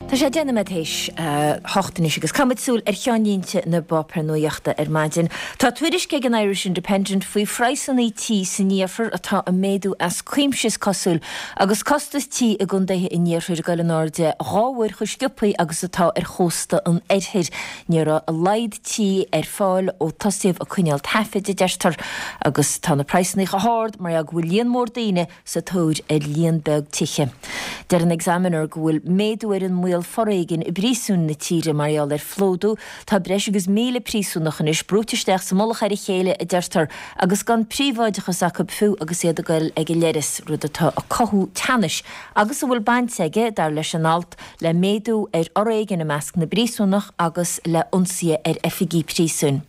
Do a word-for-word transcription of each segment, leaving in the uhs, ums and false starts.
Tá sé deich nóiméad théis a hocht anois agus caithfimid súil ar cheannlínte na bpáipéar nuachta ar maidin. Tá tuairisc ag an Irish Independent faoi phraghsanna tí san iarthar atá ag méadú as cuimse is cosúil agus costas tí i gcontaetha an iarthair ag dul in airde dhá uair chomh sciobtha agus atá ar chósta an oirthir. Ní raibh a laghad tí ar fáil ó tosaíodh ag coinneáil taifid, a deirtear, agus tá na praghsanna chomh hard mar gheall go bhfuil líon mór daoine sa tóir ar líon beag tithe. Deir an Examiner go bhfuil méadú ar an mbaol foréigin i bpríosúin na tíre mar gheall ar phlódú. Tá breis agus míle príosúnach anois brúite isteach sa mullach ar a chéile, a deirtear, agus gan príobháideachas acu fiú agus iad ag goil ag an leithreas, rud atá ag cothú teannais agus a bhfuil baint aige, dar leis an alt, le méadú ar fhoréigean i measc na bpríosúnach agus le hionsaithe ar oifigí príosúin.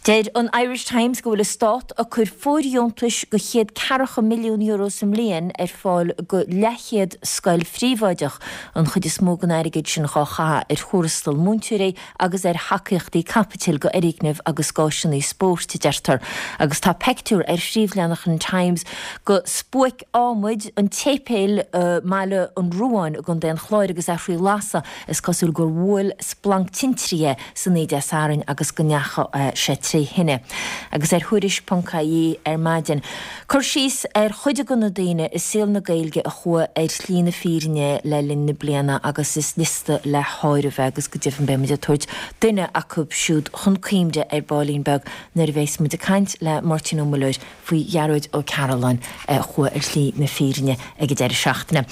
Deir an Irish Times go bhfuil an Stát ag cur fóirdheontais de chéad ceathracha milliún euro sa mbliain ar fáil go leathchéad scoil phríobháideach, an chuid is mó den airgead sin dhá chaitheamh ar thuarastal múinteoirí agus ar thacaíochtaí caipitil go fhoirgnimh agus dh'áiseanna spóirt, a deirtear. Agus tá peictiúr ar phríomhleathanach an Times go spuaic adhmaid an tséipéil i mBaile an Ruáin i gContae an Chláir agus é faoi lasadh. Is cosúil gur bhuail splanc tintrí é san oíche Dé Sathairn agus go ndeachaigh sé tré thine. Agus ar Thuairisc ponc ie ar maidin, cur síos ar chuid de na daoine i saol na Gaeilge a chuaigh ar shlí na fírinne le linn na bliana agus is liosta le háireamh é agus go deimhin beidh muid ag tabhairt duine acu siúd chun cuimhne ar baillín beag nuair a bheas muid ag caint le Máirtín Ó Muilleoir faoi Ghearóid Ó Cairealláin a chuaigh ar shlí na fírinne ag an deireadh seachtaine.